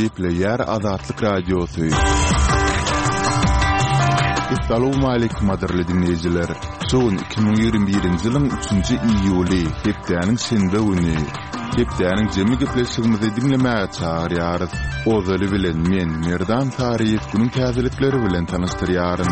Gepleýär Azatlyk Radiosy. Essalawmaleýkim gadyrly diňleýjiler! Şu gün 2021-nji ýylyň üçünji iýuly, hepdäniň şenbe güni. Hepdäniň jemi gepleşigimizi diňlemäge çagyrýarys. Ozaly bilen men, Merdan Saryýew günüň täzelikleri bilen tanyşdyrýaryn.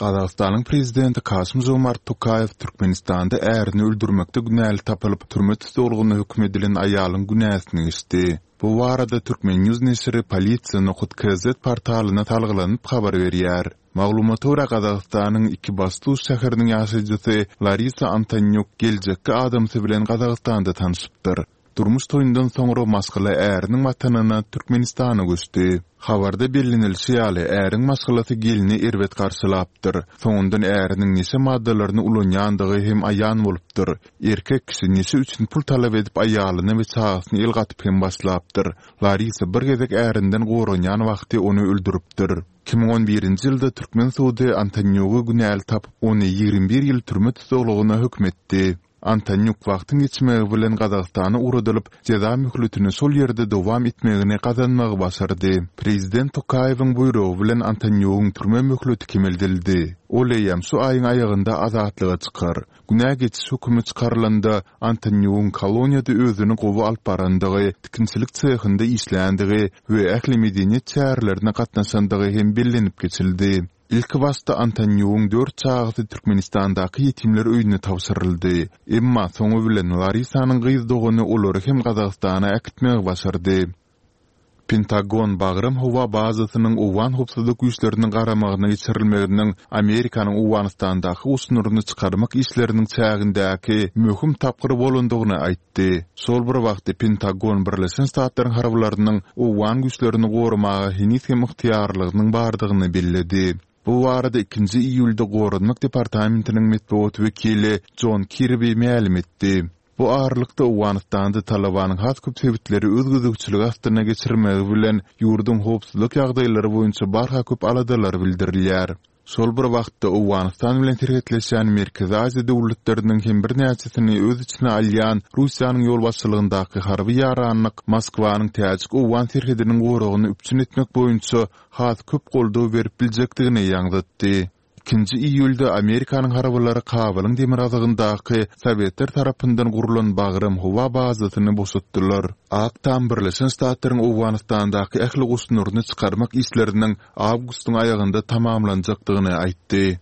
Gazagystanyň prezidenti Kasym-Žomart Tokaýew Türkmenistanda ärini öldürmekde günäli tapylyp, türme tussaglygyna höküm edilen aýalyň günäsini geçdi. Bu barada Turkmen. News neşiri Polisiýa nokat kz portalyna salgylanyp habar berýär. Maglumata görä, Gazagystanyň Ikibastuz şäheriniň ýaşaýjysy Larisa Antonýuk geljekki adamsy bilen Gazagystanda tanşypdyr. Durmuş toýundan soňra maşgala äriniň watanyna Türkmenistana göçdi. Habarda bellenilişi ýaly, äriň maşgalasy gelni erbet garşylapdyr. Soňundan äriniň neşe maddalaryny ulanýandygy hem aýan bolupdyr. Erkek kişi neşe üçin pul talap edip aýalyna we çagasyna el gatyp hem başlapdyr. Larisa bir gezek ärinden goranýan wagty ony öldüripdir. 2011-nji ýylda türkmen sudy Antonýugy günäli tapyp, ony 21 ýyl türme tussaglygyna höküm etdi. Antonýuk wagtyň geçmegi bilen Gazagystana ugradylyp, jeza möhletini şol ýerde dowam etmegini gazanmagy başardy. Prezident Tokaýewiň buýrugy bilen Antonýugyň türme möhleti kemeldildi. Ol eýýäm şu aýyň aýagynda azatlyga çykar. Günä geçiş hökümi çykarylanda, Antonýugyň koloniýada özüni gowy alyp barandygy, tikinçilik sehinde işländigi we ähli medeniýet çärelerine gatnaşandygy hem bellenip geçildi. Ilkibaşda Antonýugyň dört çagasy Türkmenistandaky ýetimler öýüne tabşyryldy. Emma soňy bilen Larisanyň gyz dogany olary hem Gazagystana äkitmegi başardy. Pentagon Bagram howa bazasynyň owgan howpsuzlyk güýçleriniň garamagyna geçirilmeginiň Amerikanyň Owganystandaky goşunlaryny çykarmak işleriniň çägindäki möhüm tapgyr bolandygyny aýtdy. Aýtdy. Şol bir wagtda Pentagon Birleşen Ştatlaryň harbylarynyň owgan güýçlerini goramaga heniz hem ygtyýarlygynyň bardygyny belledi. Bu barada ikinji iýulda Goranmak departamentiniň metbugat wekili Jon Kirbi mälim etdi. Bu aralykda, Owganystanda Talybanyň has köp sebitleri öz gözegçiligi astyna geçirmegi bilen ýurduň howpsuzlyk ýagdaýlary boýunça barha köp aladalar bildirilýär. Şol bir wagtda, Owganystan bilen serhetleşýän Merkezi Aziýa döwletleriniň hem birnäçesini öz içine alýan Russiýanyň ýolbaşçylygyndaky harby ýaranlyk Moskwanyň täjik-owgan serhediniň goragyny üpjün etmek boýunça has köp goldaw berip biljekdigini ýaňzytdy. Ikinji iýulda Amerikanyň harbylary Kabulyň demirgazygyndaky sowetler tarapyndan gurlan Bagram howa bazasyny boşatdylar. Ak Tam Birleşen Ştatlaryň Owganystandaky ähli goşunlaryny çykarmak işleriniň awgustyň aýagynda tamamlanjakdygyny aýtdy.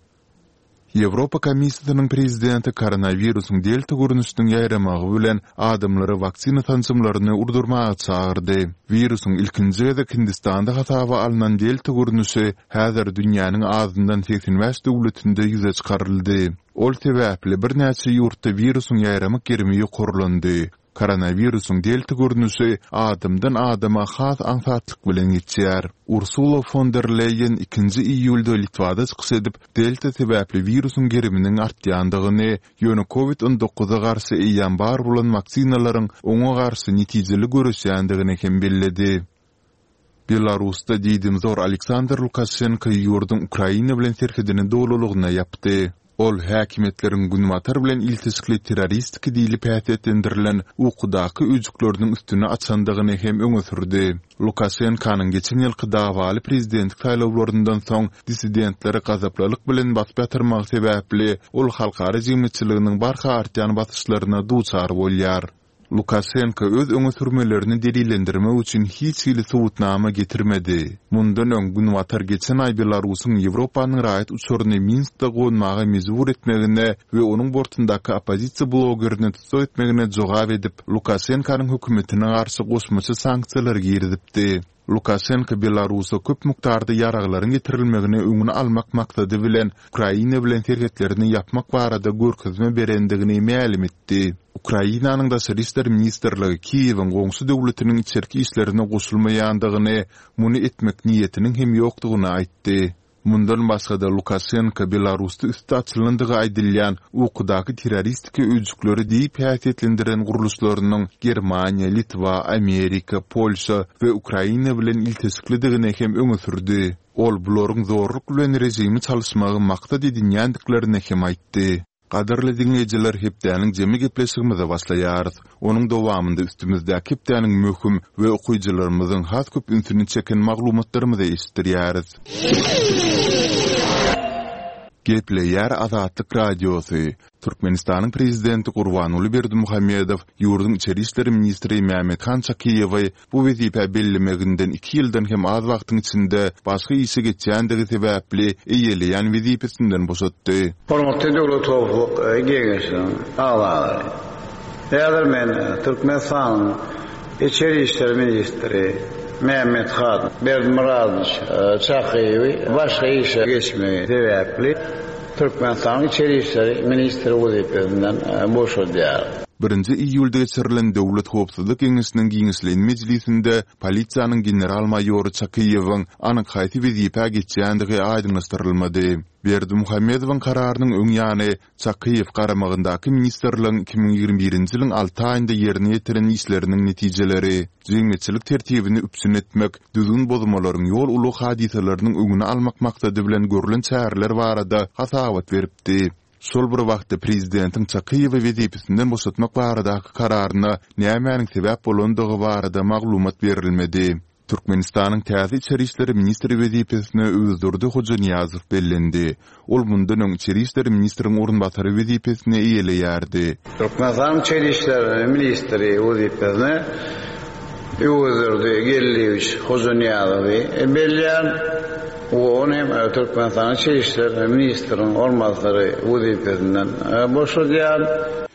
Ýewropa Komissiýasynyň prezidenti koronawirusyň delta görnüşiniň ýaýramagy bilen adamlary waksina sanjymlaryny urdurmaga çagyrdy. Wirusyň ilkinji gezek Hindistanda hasaba alnan delta görnüşi häzir dünýäniň azyndan 85 döwletinde ýüze çykaryldy. Ol sebäpli birnäçe ýurtda wirusyň ýaýramak gerimi ýokarlandy. Koronawirusyň delta görnüşi adamdan adama has aňsatlyk bilen geçýär. Ursula fon der Leýen ikinji iýulda Litwada çykyş edip, delta sebäpli wirusyň geriminiň artýandygyny, ýöne covid 19-a garşy eýýäm bar bolan waksinalaryň oňa garşy netijeli göreşýändigini hem belledi. Belarusda diýdimzor Aleksandr Lukaşenko ýurduň Ukraina bilen serhedini dolulygyna ýapdy. Ol häkimiýetleriň Günbatar bilen ilteşikli terroristiki diýlip häsiýetlendirilen ukudaky öýjükleriniň üstüni açandygyny hem öňe sürdi. Lukaşenkonyň geçen ýylky dawaly prezidentlik saýlawlaryndan soň dissidentleri gazaplylyk bilen basyp ýatyrmagy sebäpli ol halkara jemgyýetçiliginiň barha artýan basyşlaryna duçar bolýar. Lukaşenko öz öňe sürmelerini delillendirmek üçin hiç hili subutnama getirmedi. Mundan öň, Günbatar geçen aý Belarusyň Ýewropanyň raýat uçaryny Minskde gonmaga mejbur etmegine we onuň bortundaky oppozisiýa blogerini tussag etmegine jogap edip, Lukaşenkonyň hökümetine garşy goşmaça sanksiýalary girizipdi. Lukaşenko Belarusa köp mukdarda ýaraglaryň getirilmegini öňüni almak maksady bilen Ukraina bilen serhetlerini ýapmak barada görkezme berendigini mälim etdi. Ukrainanyň Daşary işler ministrligi Kiýewiň goňşy döwletiniň içerki işlerine goşulmaýandygyny, muny etmek niýetiniň hem ýokdugyny aýtdy. Mundan başga-da, Lukaşenko Belarusda üsti açylandygy aýdylýan ukudaky terroristiki öýjükleri diýip häsiýetlendiren gurluşlarynyň Germaniýa, Litwa, Amerika, Polşa we Ukraina bilen ilteşiklidigini hem öňe sürdi. Ol bularyň zorluk bilen režimi çalyşmagy maksat edinýändiklerini hem aýtdy. Gadyrly diňleýjiler hepdäniň jemi gepleşigimize başlaýarys. Onuň dowamynda üstümizdäki hepdäniň möhüm we okyjylarymyzyň has köp ünsüni çeken maglumatlarymyzy eşitdirýäris. Gepleýär Azatlyk Radiosy, Türkmenistanyň Prezidenti Gurbanguly Berdimuhamedow ýurduň içeri işler ministri Mämmethan Çakyýewi bu wezipä bellemeginden iki ýyldan hem az wagtyň içinde başga işe geçýändigi sebäpli eýeleýän wezipesinden boşatdy. Hormatly Döwlet howpsuzlyk geňeşiniň agzalary! Häzir men Türkmenistanyň Içeri işler ministri Mämmethan Berdimyradowiç Çakyýewi başga işe geçmegi sebäpli Türkmenistanyň Içeri işler ministri wezipesinden boşadýar. Birinji iýulda geçirilen Döwlet howpsuzlyk geňeşiniň giňişleýin mejlisinde polisiýanyň general-maýory Çakyýewiň anyk haýsy wezipä geçýändigi aýdyňlaşdyrylmady. Berdimuhamedowyň kararynyň öň ýany, Çakyýew garamagyndaky ministrligiň 2021-nji ýylyň alty aýynda ýerine ýetiren işleriniň netijeleri, jemgyýetçilik tertibini üpjün etmek, düzgün bozmalaryň ýol-ulag hadysalarynyň öňüni almak maksady bilen görlen çäreler barada hasabat beripdi. Şol bir wagtda prezidentiň Çakyýewi wezipesinden boşatmak baradaky kararyna nämäniň sebäp bolandygy barada maglumat berilmedi. Türkmenistanyň täze içeri işler ministri wezipesine Öwezdurdy Hojanyýazow bellendi. Ol mundan öň içeri işler ministriň orunbasary wezipesini eýeleýärdi. Türkmenistanyň içeri işler ministri wezipesine Öwezdurdy Geldiýewiç Hojanyýazowy belleýän we ony hem Türkmenistanyň içeri işler ministriniň orunbasary wezipesinden boşadýan.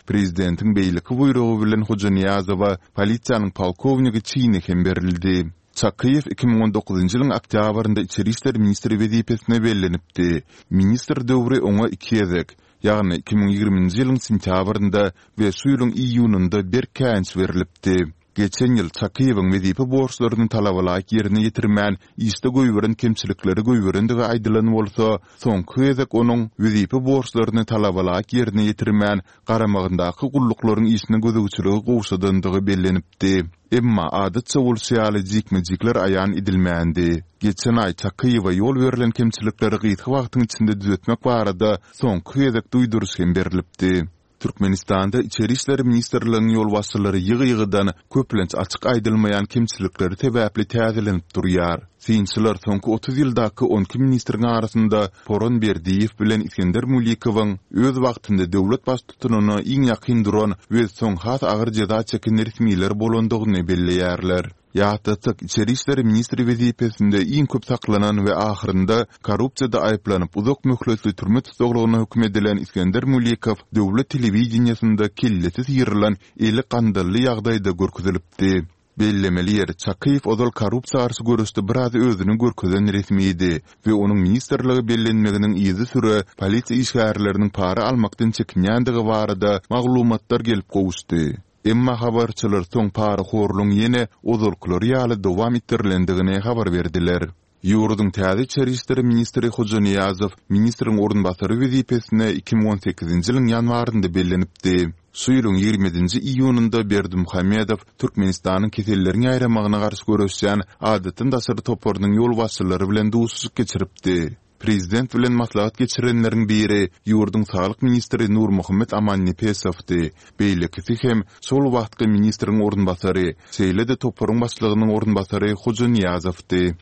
Prezidentiň beýleki buýrugy bilen Hojanyýazowa polisiýanyň polkownigi çini hem berildi. Çakyýew 2019-njy ýylyň oktýabrynda içeri işler ministri wezipesine bellenipdi. Ministr döwri oňa iki gezek, ýagny 2020-nji ýylyň sentýabrynda we şu ýylyň iýunynda berk käýinç berlipdi. Geçen ýyl Çakyýewiň wezipe borçlaryny talabalaýyk ýerine ýetirmän, işde goýberen kemçilikleri goýberendigi aýdylan bolsa, soňky gezek onuň wezipe borçlaryny talabalaýyk ýerine ýetirmän, garamagyndaky gulluklaryň işine gözegçiligi gowşadandygy bellenipdi. Emma, adatça bolşy ýaly, jikme-jikler aýan edilmändi. Geçen aý Çakyýewe ýol berlen kemçilikleri gysga wagtyň içinde düzetmek barada soňky gezek duýduryş hem berlipdi. Türkmenistanda Içeri işler ministrligiň ýolbaşçylary ýygy-ýygydan, köplenç açyk aýdylmaýan kemçilikleri sebäpli täzelenip durýar. Synçylar soňky 30 ýyldaky on iki ministriň arasynda Poran Berdiýew bilen Isgender Mulikowyň öz wagtynda döwlet baştutanyna iň ýakyn duran we soň has agyr jeza çeken resmiler bolandygyny belleýärler. Ýatlatsak, içeri işler ministri wezipesinde iň köp saklanan we ahyrynda korrupsiýada aýyplanyp uzak möhletli türme tussaglygyna höküm edilen Isgender Mulikow döwlet telewideniýesinde kellesi syrylan, eli gandally ýagdaýda görkezilipdi. Bellemeli ýeri, Çakyýew ozal korrupsiýa garşy göreşde biraz özüni görkezen resmidi we onuň ministrlige bellenmeginiň yzysüre polisiýa işgärleriniň para almakdan çekinýändigi barada maglumatlar gelip gowuşdy. Emma habarçylar soň parahorlugyň ýene ozalkylary ýaly dowam etdirilendigini habar berdiler. Ýurduň täze içeri işler ministri Hojanyýazow ministriň orunbasary wezipesine 2018-nji ýylyň ýanwarynda bellenipdi. Şu ýylyň 27-nji iýunynda Berdimuhamedow Türkmenistanyň keselleriň ýaýramagyna garşy göreşýän adatdan daşary toparynyň ýolbaşçylary bilen duşuşyk geçiripdi. Prezident bilen maslahat geçirenleriň biri ýurduň saglyk ministri Nurmuhammet Amannepesowdy, beýlekisi hem şol wagtky ministriň orunbasary, şeýle-de toparyň başlygynyň orunbasary Hoja Nyýazowdy.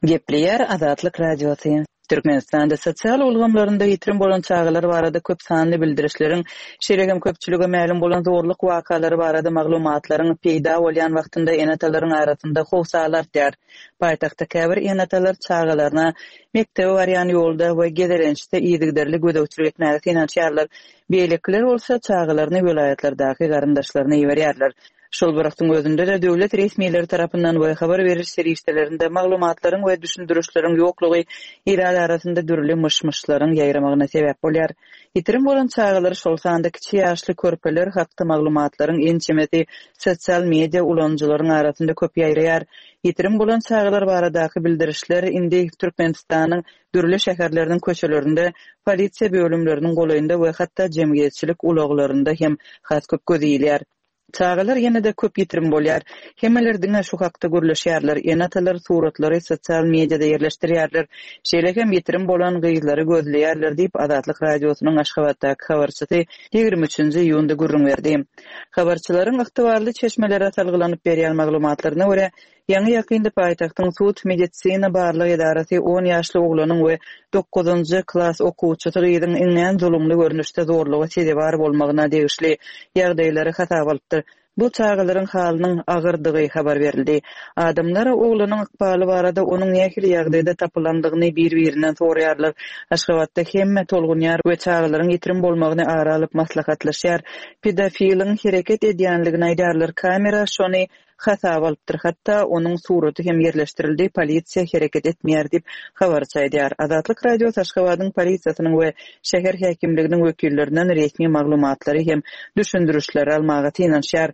Gepleýär Azatlyk Radiosy. Türkmenistanda sosial ulgamlarynda ýitirim bolan çagalar barada köp sanly bildirişleriň, şeýle hem köpçülige mälim bolan zorluk wakalary barada maglumatlaryň peýda bolýan wagtynda ene-atalaryň arasynda howsala artýar. Paýtagtda käbir ene-atalar çagalaryna mekdebe barýan ýolda we gezelençde yzygiderli gözegçilik etmäge synanyşýarlar. Beýlekiler bolsa çagalaryny welaýatlardaky garyndaşlaryna iberýärler. Şol bir wagtyň özünde-de döwlet resmileri tarapyndan we habar beriş serişdelerinde maglumatlaryň we düşündirişleriň ýoklugy ilat arasynda dürli myş-myşlaryň ýaýramagyna sebäp bolýar. Ýitirim bolan çagalar, şol sanda kiçi ýaşly körpeler hakda maglumatlaryň ençemesi sosial media ulanyjylaryň arasynda köp ýaýraýar. Ýitirim bolan çagalar baradaky bildirişler indi Türkmenistanyň dürli şäherleriniň köçelerinde, polisiýa bölümleriniň golaýynda we hatda jemgyýetçilik ulaglarynda hem has köp göze ilýär. Çagalar ýene-de köp ýitirim bolýar. Hemmeler diňe şu hakda gürleşýärler, ene-atalar suratlary sosial mediada ýerleşdirýärler. Şeýle hem ýitirim bolan gyzlary gözleýärler diýip, Azatlyk Radiosynyň Aşgabatdaky habarçysy 23-nji iýunda gürrüň berdi. Habarçylaryň ygtybarly çeşmelere salgylanyp berýän maglumatlaryna görä, Ýaňy-ýakynda paýtagtyň sud-medisina barlag edarasy on ýaşly oglanyň we dokuzynjy klas okuwçysy gyzyň iňňän zulumly görnüşde zorluga sezewar bolmagyna degişli ýagdaýlary hasaba alypdyr. Bu çagalaryň halynyň agyrdygy habar berildi. Adamlar oglanyň ykbaly barada onuň nähili ýagdaýda tapylandygyny bir-birinden soraýarlar. Aşgabatda hemme tolgunýar we çagalaryň ýitirim bolmagyny ara alyp maslahatlaşýar. Pedofiliň hereket edýänligini aýdýarlar. Kamera şony hasaba alypdyr, hatda onuň suraty hem ýerleşdirildi, polisiýa hereket etmeýär diýip, habarçy aýdýar. Azatlyk Radiosy Aşgabadyň polisiýasynyň we şäher häkimliginiň wekillerinden resmi maglumatlary hem düşündirişleri almaga synanyşýar.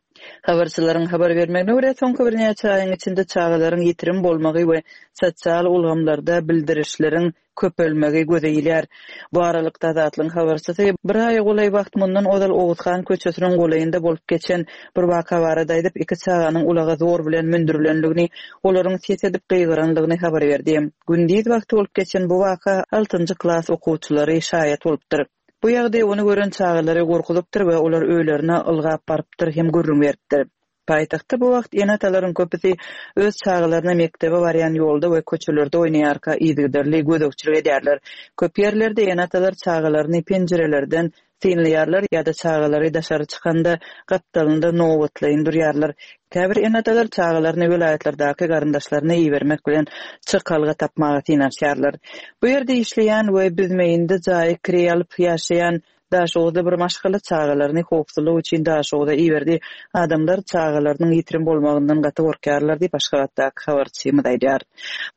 Habarçylaryň habar bermegine görä, soňky birnäçe aýyň içinde çagalaryň ýitirim bolmagy we sosial ulgamlarda bildirişleriň köpelmegi göze ilýär. Bu aralykda, Azatlygyň habarçysy bir aýa golaý wagt mundan ozal Oguzhan köçesiniň golaýynda bolup geçen bir waka barada aýdyp, iki çaganyň ulaga zor bilen mündürilendigini, olaryň ses edip gygyrandygyny habar berdi. Gündiz wagty bolup geçen bu waka altynjy klas okuwçylary şaýat bolupdyr. Bu ýagdaý ony gören çagalary gorkuzypdyr we olar öýlerine ylgap barypdyr hem gürrüň beripdir. Paýtagtda bu wagt ene-atalaryň köpüsi öz çagalaryna mekdebe barýan ýolda we köçelerde oýnaýarka yzygiderli gözegçilik edýärler. Köp ýerlerde ene-atalar çagalaryny penjirelerden synlaýarlar ýa-da çagalary daşary çykanda gapdalynda nobatlaýyn durýarlar. Käbir ene-atalar çagalaryny welaýatlardaky garyndaşlaryna ibermek bilen çykalga tapmaga synanyşýarlar. Bu ýerde işleýän we Büzmeýinde jaýy kireý alyp ýaşaýan Daşoguzda bir maşgala çagalaryny howpsuzlyk üçin Daşoguza iberdi. Adamlar çagalarynyň ýitirim bolmagyndan gaty gorkýarlar diýip, Aşgabatdaky habarçymyz aýdýar.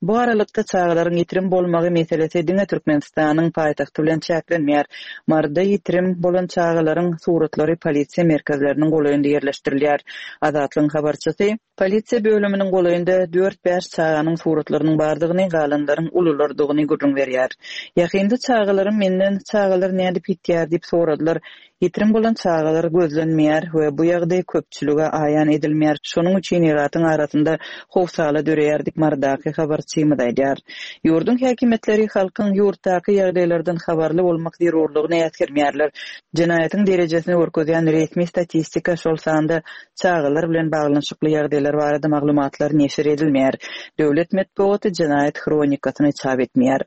Bu aralykda, çagalaryň ýitirim bolmagy meselesi diňe Türkmenistanyň paýtagty bilen çäklenmeýär. Maryda ýitirim bolan çagalaryň suratlary polisiýa merkezleriniň golaýynda ýerleşdirilýär. Azatlygyň habarçysy. Polisiýa bölüminiň golaýynda dört-bäş çaganyň suratlarynyň bardygyny, galanlaryň ululardygyny gürrüň berýär. Ýakynda çagalarym menden çagalar nädip ýitýär diýip soradylar. Ýitirim bolan çagalar gözlenmeýär we bu ýagdaý köpçülige aýan edilmeýär. Şonuň üçin ilatyň arasynda howsala döreýär diýip, Marydaky habarçymyz aýdýar. Ýurduň häkimiýetleri halkyň ýurtdaky ýagdaýlardan habarly bolmak zerurlygyny äsgermeýärler. Jenaýatyň derejesini görkezýän resmi statistika, şol sanda çagalar bilen baglanyşykly ýagdaýlar barada maglumatlar neşir edilmeýär. Döwlet metbugaty jenaýat hronikasyny çap etmeýär.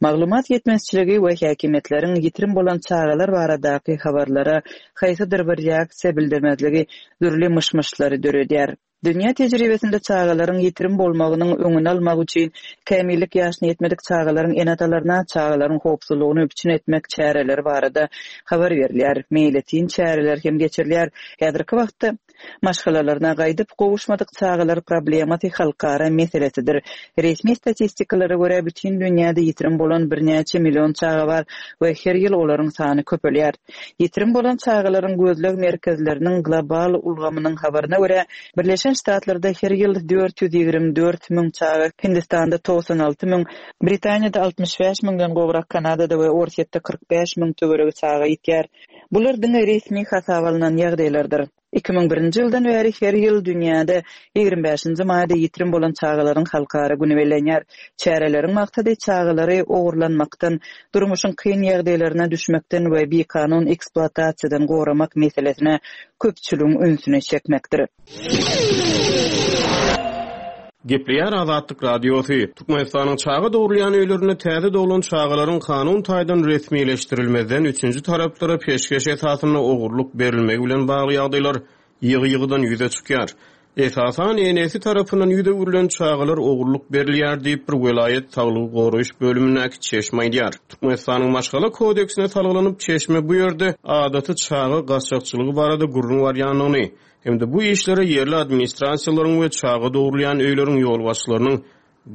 Maglumat ýetmezçiligi we häkimiýetleriň ýitirim bolan çagalar baradaky habarlara haýsydyr bir reaksiýa bildirmezligi dürli myş-myşlary döredýär. Dünýä tejribesinde çagalaryň ýitirim bolmagynyň öňüni almak üçin kämillik ýaşyna ýetmedik çagalaryň ene-atalaryna çagalaryň howpsuzlygyny üpjün etmek çäreleri barada habar berilýär, meýletin çäreler hem geçirilýär. Häzirki wagtda maşgalalaryna gaýdyp gowuşmadyk çagalar problemasy halkara meselesidir. Resmi statistikalara görä, bütin dünýäde ýitirim bolan birnäçe million çaga bar we her ýyl olaryň sany köpelýär. Ýitirim bolan çagalaryň gözleg merkezleriniň global ulgamynyň habaryna görä, Birleşen Ştatlarda her ýyl 424 müň çaga, Hindistanda 96 müň, Britaniýada 65 müňden gowrak, Kanadada we Orsýetde 45 müň töweregi çaga ýitýär. Bular diňe resmi hasaba alnan ýagdaýlardyr. 2001-nji ýyldan bäri her ýyl dünýäde 25-nji maýda ýitirim bolan çagalaryň halkara güni bellenýär. Çäreleriň maksady çagalary ogurlanmakdan, durmuşyň kyn ýagdaýlaryna düşmekden we bikanun ekspluatasiýadan goramak meselesine köpçüligiň ünsüni çekmekdir. Gepleýär Azatlyk Radiosy, Türkmenistanyň çaga dogrulýan öýlerinde täze doglan çagalaryň kanun taýdan resmileşdirilmezden üçünji taraplara peşgeş esasynda ogurlyk berilmegi bilen bagly ýagdaýlar ýygy-ýygydan ýüze çykýar. Esasan, enesi tarapyndan ýüz öwrülen çagalar ogurlyk berilýär diýip, bir welaýat saglygy goraýyş bölümindäki çeşme aýdýar. Türkmenistanyň Maşgala kodeksine salgylanyp, çeşme bu ýerde adaty çaga gaçakçylygy barada gürrüň barýandygyny hem-de bu işlere ýerli administrasiýalaryň we çaga dogrulýan öýleriň ýolbaşçylarynyň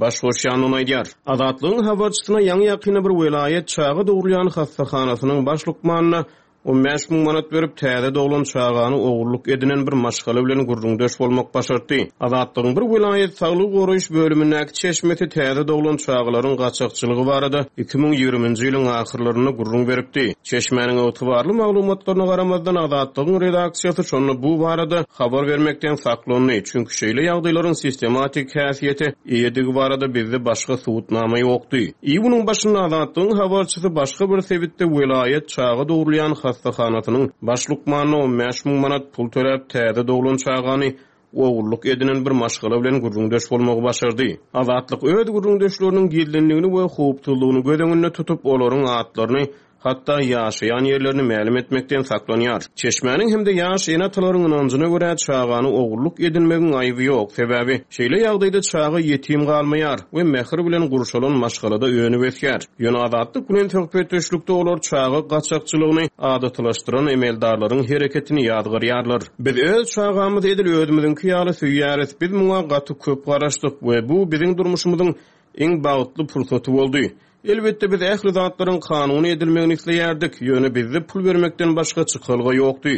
baş goşýandygyny aýdýar. Azatlygyň habarçysyna ýaňy-ýakynda bir welaýat çaga dogrulýan hassahanasynyň baş lukmanyna. 15 müň manat berip, täze doglan çagany ogurlyk edinen bir maşgala bilen gürrüňdeş bolmak başartdy. Azatlygyň bir welaýat saglygy goraýyş bölümindäki çeşmesi täze doglan çagalaryň gaçakçylygy barada 2020-nji ýylyň ahyrlarynda gürrüň beripdi. Çeşmäniň ygtybarly maglumatlaryna garamazdan, Azatlygyň redaksiýasy şonda bu barada habar bermekden saklandy, çünki şeýle ýagdaýlaryň sistematik häsiýete eýedigi barada bizde başga subutnama ýokdy. Iýunyň başynda Azatlygyň habarçysy başga bir sebitde welaýat çaga dogrulýan hassahanasynyň baş lukmanyna 15 müň manat pul töläp täze doglan çagany ogullyk edinen bir maşgala bilen gürrüňdeş bolmagy başardy. Azatlyk öz gürrüňdeşleriniň gizlinligini we howpsuzlygyny göz öňünde tutup, olaryň atlaryny, hatda ýaşaýan ýerlerini mälim etmekden saklanýar. Çeşmäniň hem-de ýaş ene-atalaryň ynanjyna görä, çagany ogullyk edinmegiň aýby ýok, sebäbi şeýle ýagdaýda çaga ýetim galmaýar we mähir bilen gurşalan maşgalada önüp-ösýär. Ýöne Azatlyk bilen söhbetdeşlikde olar çaga gaçakçylygyny adatylaşdyran emeldarlaryň hereketini ýazgarýarlar. Biz öz çagamyzy edil özümiziňki ýaly söýýäris, biz muňa gaty köp garaşdyk we bu biziň durmuşymyzyň iň bagtly pursaty boldy. Elbetde, biz ähli zatlaryň kanuny edilmegini isleýärdik, ýöne bizde pul bermekden başga çykalga ýokdy.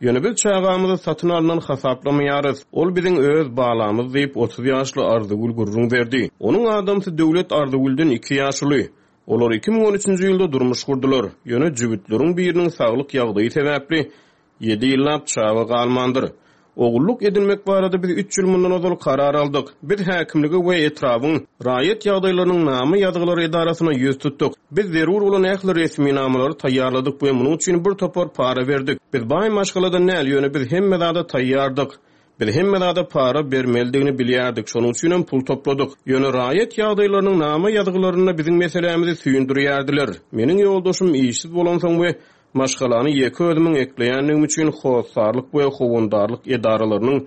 Ýöne biz çagamyzy satyn alnan hasaplamaýarys, ol biziň öz balamyz diýip, 30 ýaşly Arzygül gürrüň berdi. Onuň adamsy Döwlet Arzygülden iki ýaş uly. Olar 2013-nji ýylda durmuş gurdular, ýöne jübütleriň biriniň saglyk ýagdaýy sebäpli Ýedi ýyllap çaga galmandyr. Ogullyk edinmek barada biz üç ýyl mundan ozal karar aldyk. Biz häkimlige we etrabyň Raýat ýagdaýlarynyň nama ýazgylary edarasyna ýüz tutduk. Biz zerur bolan ähli resminamalary taýýarladyk we munuň üçin bir topar para berdik. Biz baý maşgaladan däl, ýöne biz hemme zada taýýardyk. Biz hemme zada para bermelidigini bilýärdik, şonuň üçinem pul topladyk. Ýöne raýat ýagdaýlarynyň nama ýazgylarynda biziň meselämizi süýndürýärdiler. Meniň ýoldaşym işsiz bolansoň we Maşgalany ýeke özümiň ekleýändigim üçin hossarlyk we howandarlyk edaralarynyň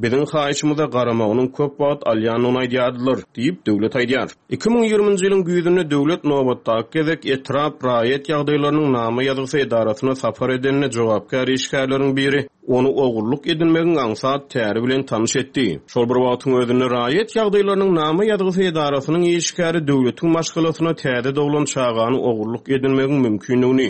biziň haýyşymyza garamagynyň köp wagt alýandygyny aýdýardylar, diýip, Döwlet aýdýar. 2020-nji ýylyň güýzünde Döwlet nobatdaky gezek etrap raýat ýagdaýlarynyň nama ýazgysy edarasyna sapar edende jogapkär işgärleriň biri ony ogullyk edinmegiň aňsat täri bilen tanyş etdi. Şol bir wagtyň özünde raýat ýagdaýlarynyň nama ýazgysy edarasynyň işgäri Döwletiň maşgalasyna täze doglan çagany ogullyk edinmegiň mümkindigini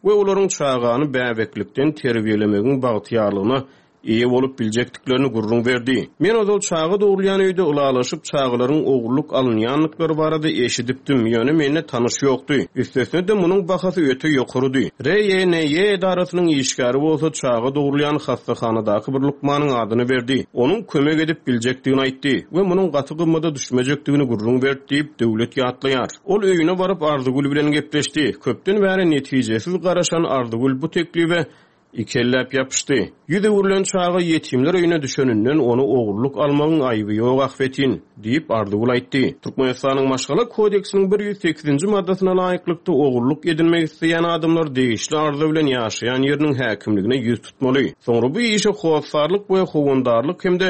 we olaryň çagany bäbeklikden terbiýelemegiň bagtyýarlygyna eýe bolup biljekdiklerini gürrüň berdi. Men ozal çaga dogrulýan öýde ylalaşyp çagalaryň ogurlyk alynýandyklary barada eşidipdim, ýöne mende tanyş ýokdy. Üstesine-de munuň bahasy öte ýokarydy. RÝNÝ edarasynyň işgäri bolsa çaga dogrulýan hassahanadaky bir lukmanyň adyny berdi. Onuň kömek edip biljekdigini aýtdy we munuň gaty gymmada düşmejekdigini gürrüň berdi diýip, Döwlet ýatlaýar. Ol öýüne baryp Arzygül bilen gepleşdi. Köpden bäri netijesiz garaşan Arzygül bu teklibe Ikelläp ýapyşdy. Ýüz öwrülen çaga ýetimler öýüne düşeninden ony ogurlyk almagyň aýby ýok ahbetin, diýip, Arzygül aýtdy. Türkmenistanyň Maşgala kodeksiniň 108-nji maddasyna laýyklykda, ogurlyk edinmek isleýän adamlar degişli arza bilen ýaşaýan ýeriniň häkimligine ýüz tutmaly. Soňra bu işe hossarlyk we howandarlyk hem-de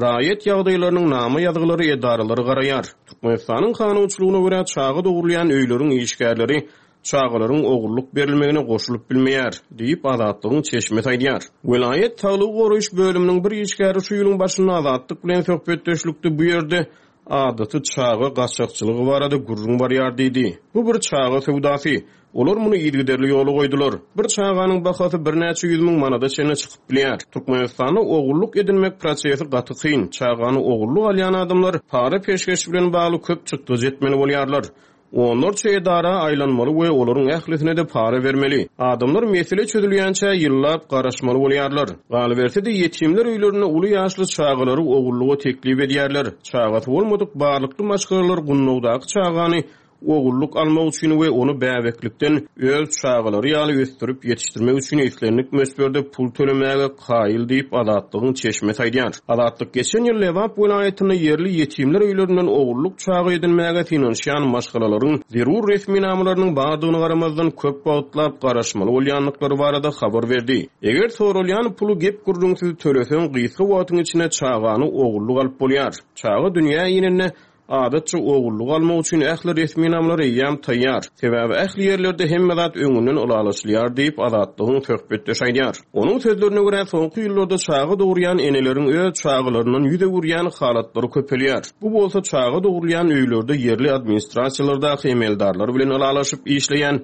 raýat ýagdaýlarynyň nama ýazgylary edaralary garaýar. Türkmenistanyň kanunçylygyna görä, çaga dogrulýan öýleriň işgärleri çagalaryň ogurlyk berilmegine goşulyp bilmeýär, diýip, Azatlygyň çeşmesi aýdýar. Welaýat saglygy goraýyş bölüminiň bir işgäri şu ýylyň başynda Azatlyk bilen söhbetdeşlikde bu ýerde adaty çaga gaçakçylygy barada gürrüň barýar diýdi. Bu bir çaga söwdasy. Olar muny yzygiderli ýola goýdular. Bir çaganyň bahasy birnäçe ýüz müň manada çenli çykyp bilýär. Türkmenistanda ogullyk edinmek prosesi gaty kyn. Çagany ogullyk alýan adamlar para-peşgeş bilen bagly köp çykdajy etmeli bolýarlar. Onlarça edara aýlanmaly we olaryň ählisine-de para bermeli. Adamlar mesele çözülýänçä ýyllap garaşmaly bolýarlar. Galyberse-de, ýetimler öýlerinde uly ýaşly çagalary ogullyga teklip edýärler. Çagasy bolmadyk barlykly maşgalalar gundagdaky çagany ogullyk almak üçin we ony bäbeklikden öz çagalary ýaly ösdürip ýetişdirmek üçin islendik möçberde pul tölemäge kaýyl diýip, Azatlygyň çeşmesi aýdýar. Azatlyk geçen ýyl Lebap welaýatynda ýerli ýetimler öýlerinden ogullyk çaga edinmäge synanyşýan maşgalalaryň zerur resminamalarynyň bardygyna garamazdan, köp wagtlap garaşmaly bolýandyklary barada habar berdi. Eger soralýan puly gep-gürrüňsiz töleseň, gysga wagtyň içinde çagany ogullyk alyp bolýar. Çaga dünýä inende, Adatça ogullyk almak üçin ähli resminamalar eýýäm taýýar. Sebäbi ähli ýerlerde hemme zat öňünden ylalaşylýar diýip, Azatlygyň söhbetdeşi aýdýar. Onuň sözlerine görä, soňky ýyllarda çaga dogurýan eneleriň öz çagalaryndan ýüz öwürýän halatlary köpelýär. Bu bolsa çaga dogrulýan öýlerde ýerli administrasiýalardaky emeldarlar bilen ylalaşyp işleýän.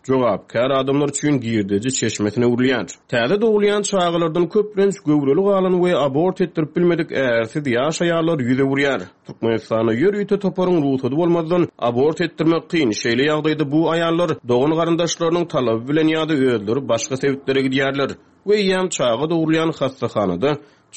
Jogapkär adamlar üçin girdeji çeşmesine öwrülýär. Täze dogulýan çagalardan köplenç göwreli galan we abort etdirip bilmedik ärsiz ýaş aýallar ýüz öwürýär. Türkmenistanda ýörite toparyň rugsady bolmazdan abort etdirmek kyn, şeýle ýagdaýda bu aýallar dogan-garyndaşlarynyň talaby bilen ýa-da özleri başga sebitlere gidýärler we eýýäm çaga dogrulýan hassahanada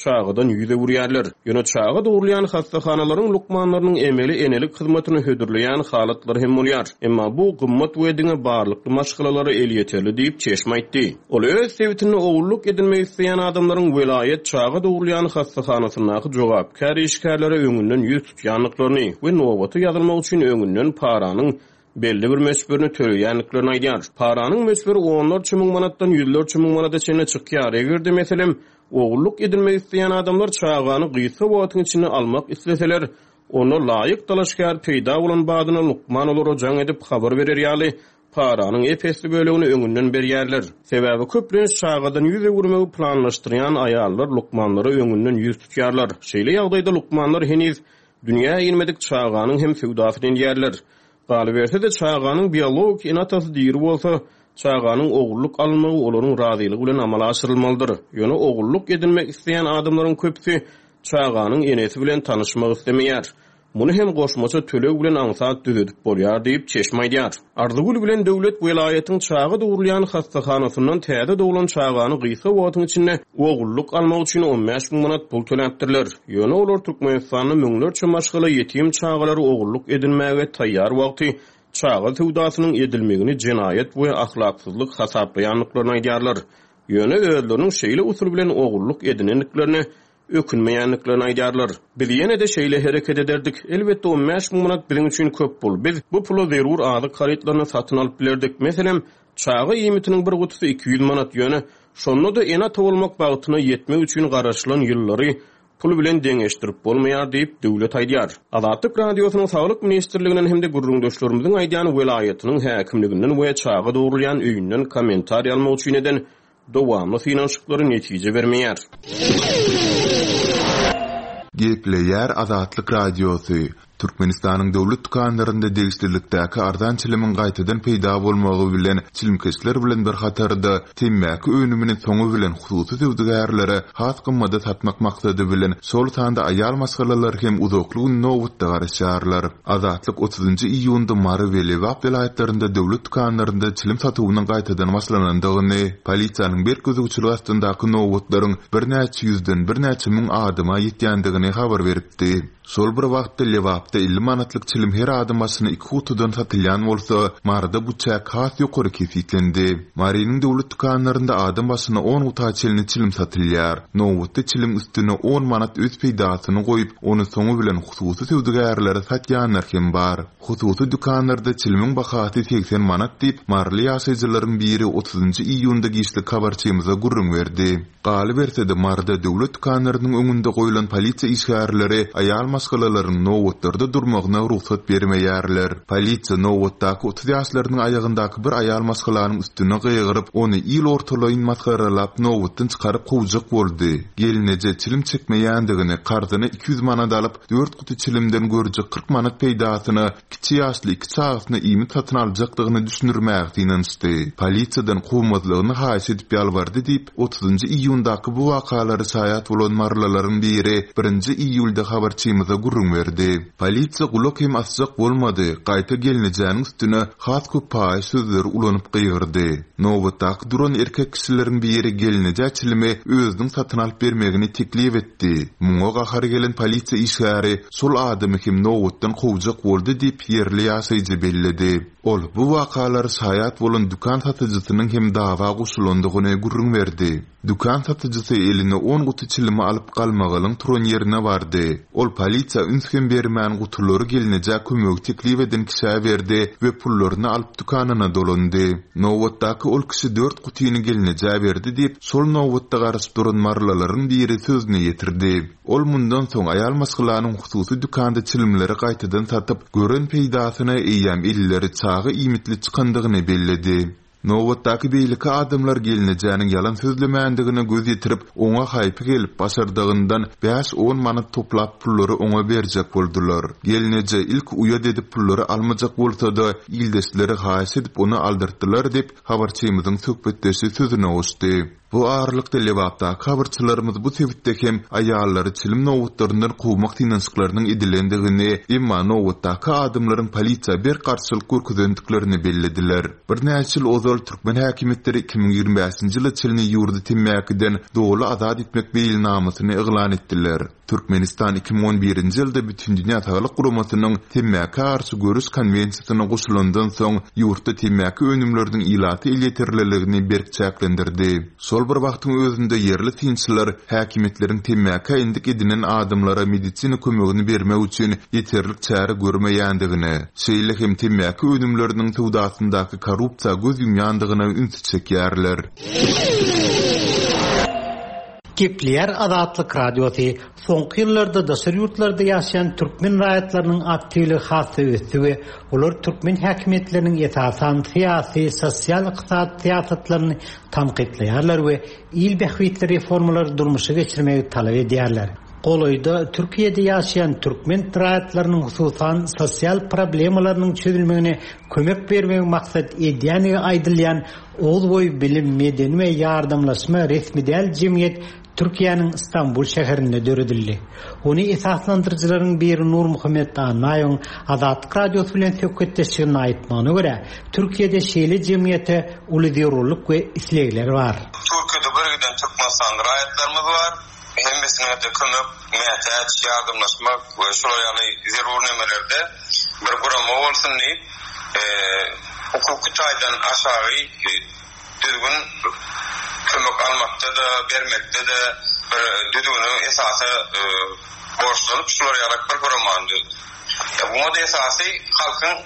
çagadan ýüz öwürýärler. Ýöne çaga dogrulýan hassahanalaryň lukmanlarynyň emeli enelik hyzmatyny hödürleýän halatlary hem bolýar. Emma bu gymmat we diňe barlykly maşgalalara elýeterli diýip, çeşme aýtdy. Ol öz sebitinde ogullyk edinmek isleýän adamlaryň welaýat çaga dogrulýan hassahanasyndaky jogapkär işgärlere öňünden ýüz tutýandyklaryny we nobata ýazylmak üçin öňünden paranyň belli bir möçberini töleýändiklerini aýdýar. Paranyň möçberi onlarça müň manatdan ýüzlerçe müň manada çenli çykýar. Eger-de, meselem, ogullyk edinmek isleýän adamlar çagany gysga wagtyň içinde almak isleseler, onda laýyk dalaşgär peýda bolan badyna lukman olara jaň edip habar berer ýaly, paranyň ep-esli bölegini öňünden berýärler. Sebäbi köplenç çagadan ýüz öwürmegi planlaşdyrýan aýallar lukmanlara öňünden ýüz tutýarlar. Şeýle ýagdaýda lukmanlar heniz Dünýä inmedik çaganyň hem söwdasyny edýärler. Galyberse-de, çaganyň biologik ene-atasy diri bolsa, çaganyň ogullyk alynmagy olaryň razylygy bilen amala aşyrylmalydyr. Ýöne ogullyk edinmek isleýän adamlaryň köpüsi çaganyň enesi bilen tanyşmak islemeýär. Muny hem goşmaça töleg bilen aňsat düzedip bolýar diýip, çeşme aýdýar. Arzygül bilen Döwlet welaýatyň çaga dogrulýan hassahanasyndan täze doglan çagany gysga wagtyň içinde ogullyk almak üçin 15 müň manat pul töläpdirler. Ýöne olar Türkmenistanda müňlerçe maşgala ýetim çagalary ogullyk edinmäge taýýar wagty çaga söwdasynyň edilmegini jenaýat we ahlaksyzlyk hasaplaýandyklaryny aýdýarlar. Ýöne özleriniň şeýle usul bilen ogullyk edinendiklerine ökünmeýändiklerini aýdýarlar. Biz ýene-de şeýle hereket ederdik. Elbetde, 15 müň manat biziň üçin köp pul. Biz bu pula zerur azyk harytlaryny satyn alyp bilerdik. Meselem, çaga iýmitiniň bir gutusy 200 manat. Ýöne, şonda-da ene-ata bolmak bagtyna ýetmek üçin garaşylan ýyllary pul bilen deňeşdirip bolmaýar diýip, Döwlet aýdýar. Azatlyk Radiosynyň Saglyk ministrliginden hem-de gürrüňdeşlerimiziň aýdýan welaýatynyň häkimliginden we çaga dogrulýan öýünden kommentariý almak üçin eden Dowamly synanyşyklary netije bermeýär. Gepleýär Azatlyk Radiosy, Türkmenistanyň döwlet dükanlarynda degişlilikdäki arzan çilimiň gaýtadan peýda bolmagy bilen çilimkeşler bilen bir hatarda temmäki önümini soňy bilen hususy söwdagärlere has gymmada satmak maksady bilen şol sanda aýal maşgalalar hem uzakly gün nobatda garaşýarlar. Azatlyk otuzynjy iýunda Mary we Lebap welaýatlarynda döwlet dükanlarynda çilim satuwynyň gaýtadan başlanandygyny, polisiýanyň berk gözegçiligi astyndaky nobatlaryň birnäçe ýüzden birnäçe müň adama ýetýändigini habar beripdi. Şol bir wagtda, Lebapda 50 manatlyk çilim her adam başyna iki gutudan satylýan bolsa, Maryda bu çäk has ýokary kesgitlendi. Marynyň döwlet dükanlarynda adam başyna on guta çenli çilim satylýar. Nobatda çiliň üstüne on manat öz peýdasyny goýup, ony soňy bilen Hususy söwdagärlere satýanlar hem bar. Hususy dükanlarda çilimiň bahasy 80 manat diýip, maryly ýaşaýjylaryň biri otuzynjy iýunda giçlik habarçymyza gürrüň berdi. Galyberse-de, Maryda döwlet dükanlarynyň öňünde goýlan polisiýa işgärleri aýal maşgalalaryň nobatlarda durmagyna rugsat bermeýärler. Polisiýa nobatdaky 30 ýaşlarynyň aýagyndaky bir aýal maşgalanyň üstüne gygyryp, ony il ortalaýyn masgaralap nobatdan çykaryp kowjak boldy. Gelneje çilim çekmeýändigini, karzyna 200 manat alyp, dört guty çilimden görjek 40 manat peýdasyna kiçi ýaşly iki çagasyna iýmit satyn aljakdygyny düşündirmäge synanyşdy. Polisiýadan kowmazlygyny haýyş edip ýalbardy diýip, otuzynjy iýundaky bu wakalara şaýat bolan marylylaryň biri birinji iýulda habarçymyza gürrüň berdi. Polisiýa gulak hem asjak bolmady, gaýta gelnejäniň üstüne has köp paýyş sözleri ulanyp gygyrdy. Nobatdaky duran erkek kişileriň biri gelnejä çilimi özüniň satyn alyp bermegini teklip etdi. Muňa gahary gelen polisiýa işgäri şol adamy hem nobatdan kowjak boldy diýip, ýerli ýaşaýjy belledi. Ol bu wakalara şaýat bolan dükan satyjysynyň hem dawa goşulandygyny gürrüň berdi. Dükan satyjysy eline on guty çilimi alyp galmagalyň turan ýerine bardy. Ol polisiýa üns hem bermän gutulary gelnejä kömegi teklip eden kişä berdi we pullaryny alyp dükanyna dolandy. Nobatdaky ol kişi dört gutyny gelnejä berdi diýip, şol nobatda garaşyp duran marylylaryň biri sözüni ýetirdi. Ol mundan soň aýal maşgalanyň hususy dükanda çilimleri gaýtadan satyp, gören peýdasyna eýýäm elleri çaga iýmitli çykandygyny belledi. Nobatdaky beýleki adamlar gelnejäniň ýalan sözlemändigine göz ýetirip, oňa haýpy gelip, başardygyndan bäş-on manat toplap pullary oňa berjek boldular. Gelneje ilki uýat edip pullary almajak bolsa-da, ildeşleri haýyş edip ony aldyrtdylar diýip, habarçymyzyň söhbetdeşi sözüne goşdy. Bu aralykda, Lebapdaky habarçylarymyz bu sebitde hem aýallary çilim nobatlaryndan kowmak synanyşyklarynyň edilendigini, emma nobatdaky adamlaryň polisiýa berk garşylyk görkezendiklerini bellediler. Birnäçe ýyl ozal türkmen häkimiýetleri 2025-nji ýyla çenli ýurdy temmäkiden doly azat etmek meýilnamasyny yglan etdiler. Türkmenistan 2011-nji ýylda Bütindünýä Saglyk Guramasynyň Temmäkä garşy göreş konwensiýasyna goşulandan soň, ýurtda temmäki önümleriniň ilata elýeterliligini berk çäklendirdi. Şol bir wagtyň özünde ýerli synçylar häkimiýetleriň temmäkä endik edinen adamlara medisina kömegini bermek üçin ýeterlik çäre görmeýändigine, şeýle hem temmäki önümleriniň söwdasyndaky korrupsiýa göz ýumýandygyna ünsi çekýärler. Gepleýär Azatlyk Radiosy, Soňky ýyllarda daşary ýurtlarda ýaşaýan türkmen raýatlarynyň aktiwligi has-da ösdi we olar türkmen häkimiýetleriniň esasan syýasy, sosial-ykdysady syýasatlaryny tankytlaýarlar we il bähbitli reformalary durmuşa geçirmegi talap edýärler. Golaýda Türkiýede ýaşaýan türkmen raýatlarynyň hususan sosial problemalarynyň çözülmegine kömek bermegi maksat edýändigi aýdylýan Oguzboýy bilim, medeni we ýardamlaşma resmi däl jemgyýet Türkiýäniň Stambul şäherinde döredildi. Ony esaslandyryjylaryň biri Nurmuhammet Annaýewiň Azatlyk Radiosy bilen söhbetdeşliginde aýtmagyna görä, Türkiýede şeýle jemgyýete uly zerurlyk we islegler bar. Türkiýede bir giden türkmenistanly raýatlarymyz bar. Hemmesine-de kömek mätäç, ýardamlaşmak we şular ýaly zerur nemelerde bir gurama bolsun diýip, hukuky taýdan aşagy düzgün kömek almakda-da, bermekde-de bir düzgüne, esasa borçlanyp, şular ýalak bir guramany düzdük. Muňa-da esasy halkyň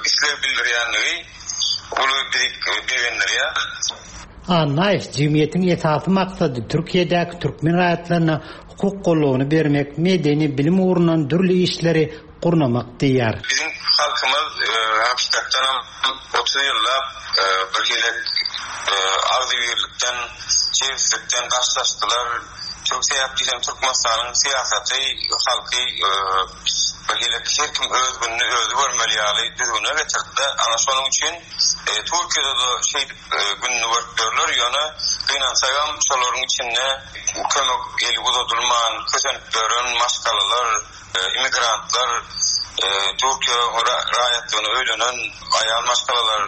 isleg bildirýänligi uly bizi begendirýär. Annaýew jemgyýetiň esasy maksady Türkiýedäki türkmen raýatlaryna hukuk goldawyny bermek, medeni, bilim ugrundan dürli işleri gurnamak diýýär. Biziň halkymyz hakykatdanam 30 ýyllap bir hili agzybirlikden, jebislikden daşlaşdylar. Türk sebäp diýsem Türkmenistanyň syýasaty halky bir hili her kim öz gününi özi görmeli ýaly düzgüne getirdi-de. Ana şonuň üçin Türkiýede-de şeýdip gününi görüp ýörler. Ýöne gynansagam şolaryň içinde kömek eli uzadylman kösenip ýören maşgalalar, immigrantlar, Türkiýe raýatlygyna öýlenen aýal maşgalalar,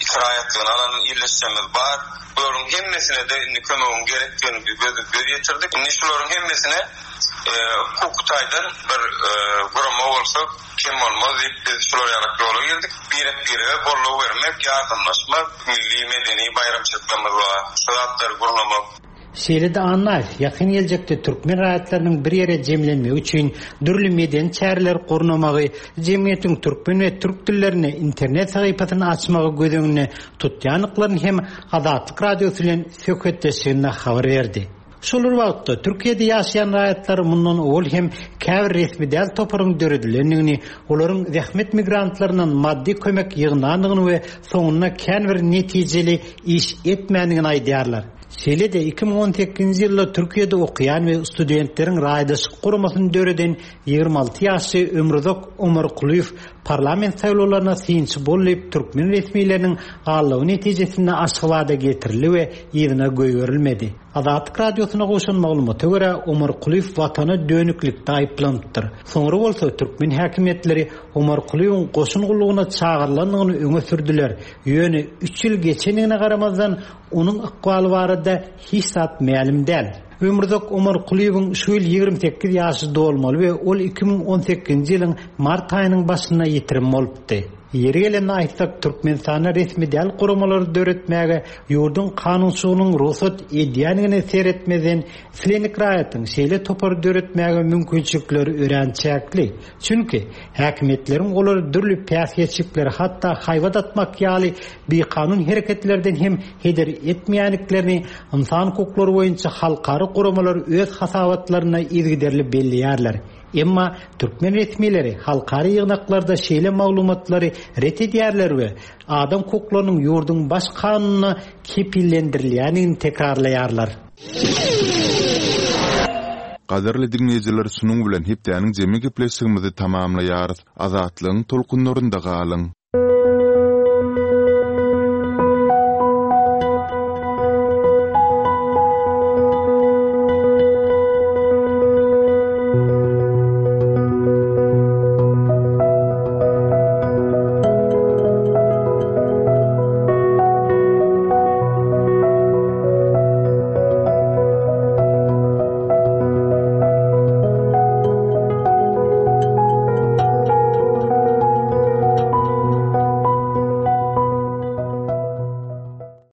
iki raýatlygyny alan ildeşlerimiz bar. Bularyň hemmesine-de indi kömegiň gerekdigini biz göz ýetirdik. Indi şularyň hemmesine hukuky taýdan bir gurama bolsa kem bolmaz diýip biz şular ýalak ýola girdik. Birek-birege goldaw bermek, ýardamlaşmak, milli medeni baýramçylyklarymyz bar, şu zatlary gurnamak. Şeýle-de Annaýew ýakyn geljekde türkmen raýatlarynyň bir ýere jemlenmegi üçin dürli medeni çäreleri gurnamagy, jemgyýetiň türkmen we türk dillerinde internet sahypasyny açmagy göz öňünde tutýandyklaryny hem Azatlyk Radiosy bilen söhbetdeşliginde habar berdi. Şol bir wagtda, Türkiýede ýaşaýan raýatlar mundan owal hem käbir resmi däl toparyň döredilendigini, olaryň zähmet migrantlaryndan maddy kömek ýygnandygyny we soňunda kän bir netijeli iş etmändigini aýdýarlar. Şeýle-de, 2018-nji ýylda Türkiýede okaýan we studentleriň raýdaşlyk guramasyny döreden 26 ýaşly Ömruzak Omarkulyýew parlament saýlawlaryna synçy bol diýip, türkmen resmileriniň aldawy netijesinde Aşgabada getirildi we yzyna goýberilmedi. Azatlyk Radiosyna gowşan maglumata görä, Omarkulyýew watana dönüklikde aýyplanypdyr. Soňra bolsa türkmen häkimiýetleri Omarkulyýewiň goşun gullugyna çagyrylandygyny öňe sürdüler, ýöne üç ýyl geçendigine garamazdan, onuň ykbaly barada hiç zat mälim däl. Ömürzak Omarkulyýewiň şu ýyl 28 ýaşy dolmaly we ol 2018-nji ýylyň mart aýynyň başynda ýitirim bolupdy. Ýeri gelende aýtsak, Türkmenistanda resmi däl guramalary döretmäge ýurduň kanunçylygynyň rugsat edýändigine seretmezden, islendik raýatyň şeýle topary döretmäge mümkinçilikleri örän çäkli. Çünki, häkimiýetleriň olary dürli päsgelçilikleri, hatda haýbat atmak ýaly bikanun hereketlerden hem heder etmeýändiklerini ynsan hukuklary boýunça halkara guramalar öz hasabatlarynda yzygiderli belleýärler. Emma türkmen resmileri halkara ýygnaklarda şeýle maglumatlary ret edýärler we adam hukuklarynyň ýurduň Baş kanunynda kepillendirilýändigini tekrarlaýarlar. Gadyrly diňleýjiler şunuň bilen hepdäniň jemi gepleşigimizi tamamlaýarys. Azatlygyň tolkunlarynda galyň!